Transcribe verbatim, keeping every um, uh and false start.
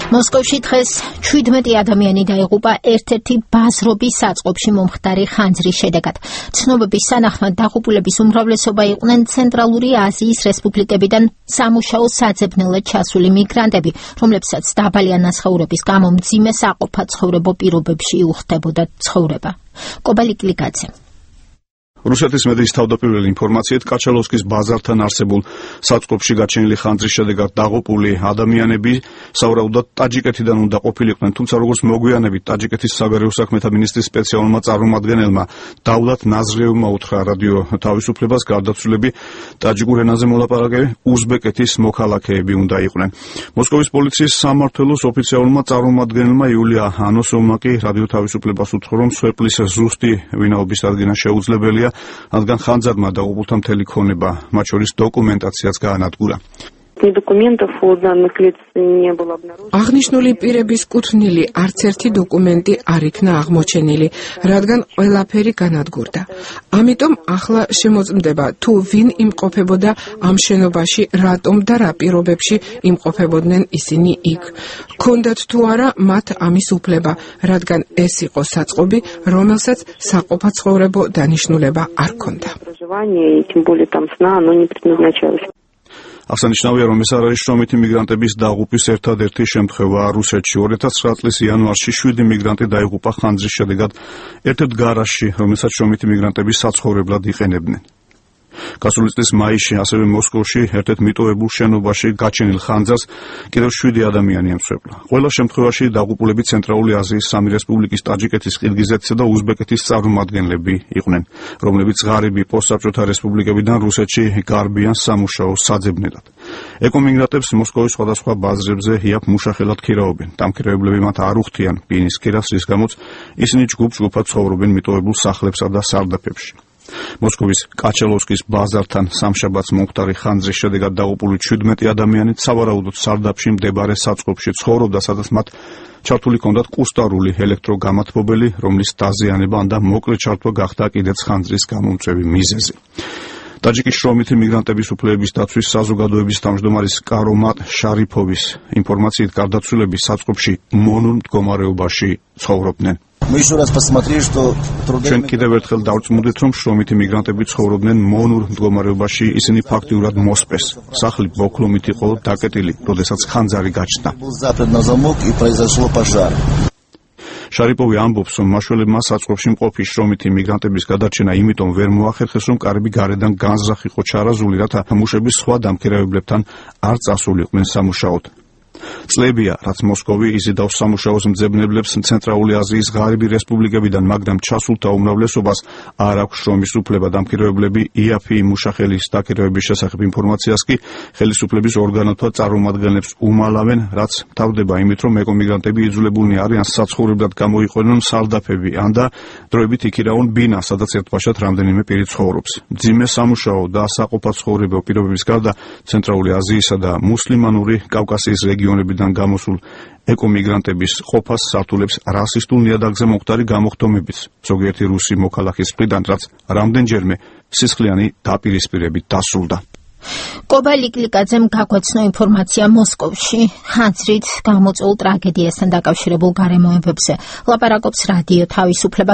მოსკოვში დღეს ჩვიდმეტი ადამიანი დაიღუპა ერთ-ერთი ბაზრობის საწყობში მომხდარი ხანძრის შედეგად. ცნობების თანახმად დაღუპულების უმრავლესობა იყვნენ ცენტრალური აზიის რესპუბლიკებიდან სამუშაო საძებნელად ჩასული მიგრანტები, რომლებსაც დაბალი ანაზღაურების გამო მძიმე საყოფაცხოვრებო პირობებში უხდებოდა ცხოვრება. კობალიკლიკაძე. რუსეთის მედიის თავდაპირველი ინფორმაციით კაჩალოვსკის ბაზართან არსებულ საწყობში გაჩენილი ხანძრის შედეგად დაღუპული ადამიანები სავარაუდოდ ტაჯიკეთიდან უნდა ყოფილიყვნენ, თუმცა როგორც მოგვიანებით ტაჯიკეთის საგარეო საქმეთა მინისტრის სპეციალურმა წარმომადგენელმა დავლათ ნაზრიევმა უთხრა რადიო თავისუფლებას, გარდაცვლილები ტაჯიკურ ენაზე მოლაპარაკე უზბეკეთის მოქალაქეები უნდა იყვნენ. მოსკოვის პოლიციის სამმართველოს ოფიციალურმა წარმომადგენელმა იულია ანოსოვმა კი რადიო თავისუფლებას უთხრა, რომ სვეპლის ზუსტი ვინაობის დადგენა შეუძლებელია, რადგან ხანძარმა დაღუპულთა მთელი ქონება, მათ შორის დოკუმენტაციაც გაანადგურა. აღნიშნული პირების კუთვნილი არც ერთი დოკუმენტი არ იქნა აღმოჩენილი, რადგან ყველაფერი განადგურდა. ამიტომ ახლა შემოწმდება, თუ ვინ იმყოფებოდა ამ შენობაში, რატომ და რა პირობებში იმყოფებოდნენ ისინი იქ. ქონდათ თუ არა მათ ამის უფლება, რადგან ეს იყო საწყობი, რომელსაც საყოფაცხოვრებო დანიშნულება არ ქონდა. აღსანიშნავია, რომ ეს არ არის შრომითი მიგრანტების დაღუპვის ერთადერთი შემთხვევა რუსეთში. ორი ათას ცხრა წლის იანვარში შვიდი მიგრანტი დაიღუპა ხანძრის შედეგად ერთ-ერთ გარაჟში, რომელსაც შრომითი მიგრანტები საცხოვრებლად იყენებდნენ. გასული წლის მაისში ასევე მოსკოვში ერთ-ერთ მიტოვებულ შენობაში გაჩენილ ხანძარს კიდევ შვიდი ადამიანი ემსხვერპლა. ყველა შემთხვევაში დაღუპულები ცენტრალური აზიის სამი რესპუბლიკის ტაჯიკეთის, ყირგიზეთისა და უზბეკეთის წარმომადგენლები იყვნენ, რომლებიც ღარიბი პოსტსაბჭოთა რესპუბლიკებიდან რუსეთში გარბიან სამუშაო საძებნელად. ეკომიგრანტებს მოსკოვის სხვადასხვა ბაზრებზე იაფ მუშახელად ქირაობენ. დამქირავებლები მათ არ უხდიან ბინის ქირას, რის გამოც ისინი ჯგუფ-ჯგუფად ცხოვრობენ მიტოვებულ სახლებსა და სარდაფებში. მოსკოვის კაჩალოვსკის ბაზართან სამშაბათს მომხდარი ხანძრის შედეგად დაღუპული ჩვიდმეტი ადამიანი სავარაუდოდ სარდაფში მდებარე საწყობში ცხოვრობდა, სადაც მათ ჩართული ჰქონდათ კუსტარული ელექტროგამათბობელი, რომლის დაზიანება და მოკლე ჩართვა გახდა კიდეც ხანძრის გამომწვევი მიზეზი. ტაჯიკის შრომითი მიგრანტების უფლებების დაცვის საზოგადოების თავმჯდომარის კარომატ შარიფოვის ინფორმაციით გარდაცვლილები საწყობში მონურ მდგომარეობაში ცხოვრობდნენ. ჩვენ კიდევ ერთხელ დავწმუნდით, რომ შრომითი მიგრანტები ცხოვრობდნენ მონურ მდგომარეობაში, ისინი ფაქტიურად მოსპეს. სახლი ბოქლომით იყო დაკეტილი, როდესაც ხანძარი გაჩნდა. შარიპოვი ამბობს, რომ მაშველებმა საწყობში მყოფი შრომითი მიგრანტების გადარჩენა იმიტომ ვერ მოახერხეს, რომ კარები გარედან განზრახ იყო ჩარაზული, რათა მუშების სხვა დამქირავებლებთან არ წასულიყვნენ სამუშაოდ. წლებია, რაც მოსკოვი იზიდავს სამუშაოს მძებნებლებს ცენტრალური აზიის ღარიბი რესპუბლიკებიდან, მაგრამ ჩასულთა უმრავლესობას არ აქვს შრომის უფლება. დამქირავებლები იაფი მუშახელის დაქირავების შესახებ ინფორმაციას კი ხელისუფლების ორგანოთა წარმომადგენლებს უმალავენ, რაც თავდება იმით, რომ ეკომიგრანტები იძულებულნი არიან საცხოვრებლად გამოიყვანონ სარდაფები, ან და დროებით იქირავონ ბინა, სადაც ერთბაშად რამდენიმე პირი ცხოვრობს. მძიმე სამუშაო და საყოფაცხოვრებო პირობების გარდა ცენტრალური აზიისა და მუსლიმანური კავკასიის რეგიონებიდან გამოსულ ეკომიგრანტების ყოფას სართულებს რასისტულ ნიადაგზე მომხდარი გამოხდომებიც ზოგიერთი რუსი მოქალაქის მხრიდან, რაც რამდენჯერმე სისხლიანი დაპირისპირებით დასრულდა. კობალიკლიკაძემ გაგვაცნო ინფორმაცია მოსკოვში ხანძრით გამოწვეულ ტრაგედიასთან დაკავშირებულ გარემოებებზე. ლაპარაკობს რადიო თავისუფლება